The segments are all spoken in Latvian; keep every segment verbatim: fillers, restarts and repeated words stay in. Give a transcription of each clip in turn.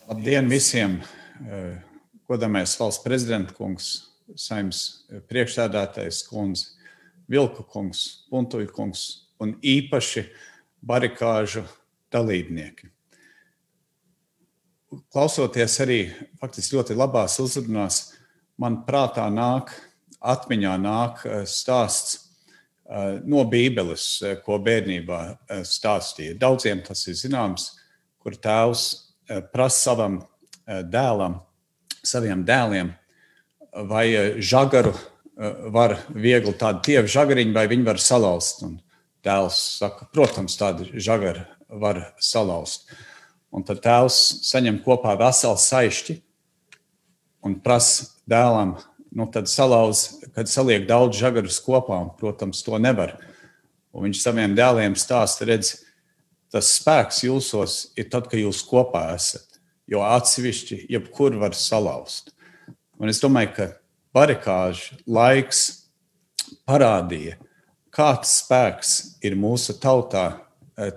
Labdien visiem! Godamais valsts prezidenta kungs, Saeimas priekšsēdētājs kundze, Vilku kungs, Puntuļa kungs un īpaši barikāžu dalībnieki. Klausoties arī faktiski ļoti labās uzrunās, man prātā nāk, atmiņā nāk stāsts no Bībeles, ko bērnībā stāstīja. Daudziem tas ir zināms, kur tēvs prasa savam dēlam, saviem dēliem, vai žagaru var viegli tādu tievu žagariņu, vai viņi var salauzt. Un dēls saka, protams, tādu žagaru var salauzt. Un tad tēvs saņem kopā veselu saišķi un prasa dēlam, nu tad salauz, kad saliek daudz žagarus kopā, un, protams, to nevar. Un viņš saviem dēliem stāsta, redz, tas spēks jūsos ir tad, kad jūs kopā esat, jo atsevišķi jebkur var salauzt. Un es domāju, ka barikāžu laiks parādīja, kāds spēks ir mūsu tautā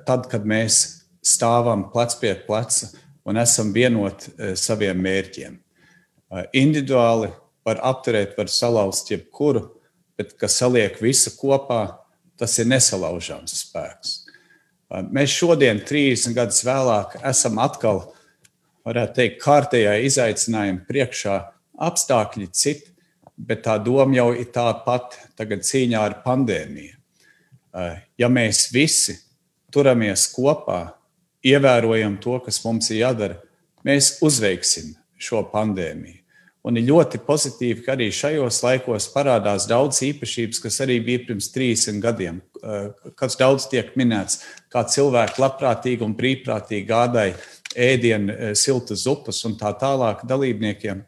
tad, kad mēs stāvam plec pie pleca un esam vienoti saviem mērķiem. Individuāli var apturēt, var salauzt jebkuru, bet, kas saliek visu kopā, tas ir nesalaužams spēks. Mēs šodien, trīsdesmit gadus vēlāk, esam atkal, varētu teikt, kārtējā izaicinājuma priekšā, apstākļi citi, bet tā doma jau ir tā pat tagad cīņā ar pandēmiju. Ja mēs visi turamies kopā, ievērojam to, kas mums ir jādara, mēs uzveiksim šo pandēmiju. Un ir ļoti pozitīvi, ka arī šajos laikos parādās daudz īpašības, kas arī bija pirms trīsdesmit gadiem, kas daudz tiek minēts, kā cilvēki labprātīgi un brīvprātīgi gādāja ēdienu, siltas zupas un tā tālāk dalībniekiem.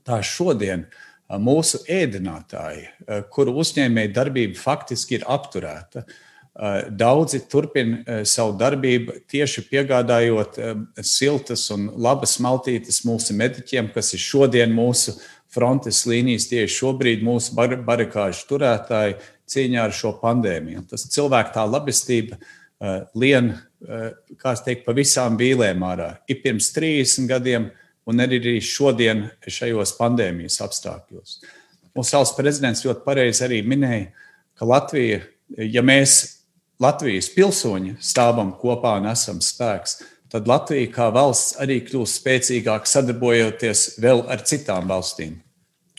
Tā šodien mūsu ēdinātāji, kuru uzņēmēju darbība faktiski ir apturēta, daudzi turpina savu darbību tieši piegādājot siltas un labas maltītes mūsu mediķiem, kas ir šodien mūsu frontes līnijas, tieši šobrīd mūsu bar- barikāžu turētāji cīņā ar šo pandēmiju. Tas cilvēku tā labestība uh, lien, uh, kā es teiktu, pa visām vīlēm ārā. Ir pirms trīsdesmit gadiem un arī šodien šajos pandēmijas apstākļos. Mūsu valsts prezidents ļoti pareizi arī minēja, ka Latvija, ja mēs Latvijas pilsoņi stāvam kopā un esam spēks, tad Latvija kā valsts arī kļūst spēcīgāk sadarbojoties vēl ar citām valstīm.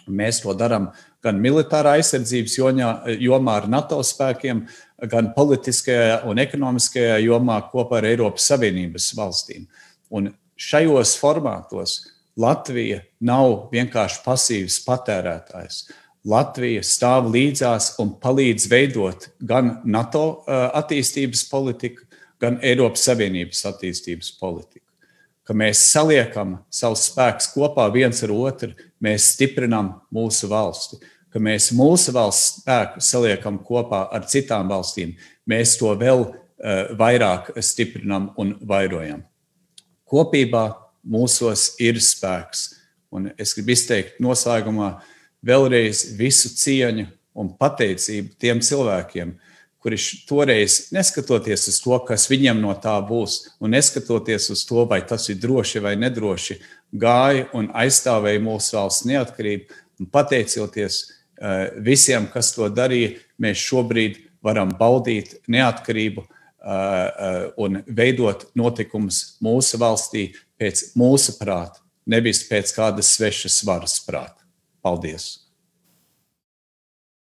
Mēs to darām gan militārā aizsardzības jomā ar NATO spēkiem, gan politiskajā un ekonomiskajā jomā kopā ar Eiropas Savienības valstīm. Un šajos formātos Latvija nav vienkārši pasīvs patērētājs. Latvija stāv līdzās un palīdz veidot gan NATO attīstības politiku, gan Eiropas Savienības attīstības politiku. Ka mēs saliekam savus spēkus kopā viens ar otru, mēs stiprinam mūsu valsti. Ka mēs mūsu valsts spēku saliekam kopā ar citām valstīm, mēs to vēl uh, vairāk stiprinam un vairojam. Kopībā mūsos ir spēks. Un es gribu izteikt noslēgumā vēlreiz visu cieņu un pateicību tiem cilvēkiem, kuri toreiz, neskatoties uz to, kas viņiem no tā būs, un neskatoties uz to, vai tas ir droši vai nedroši, gāja un aizstāvēja mūsu valsts neatkarību, un pateicoties uh, visiem, kas to darīja, mēs šobrīd varam baudīt neatkarību uh, uh, un veidot notikumus mūsu valstī pēc mūsu prāta, nevis pēc kādas svešas varas prāta. Paldies!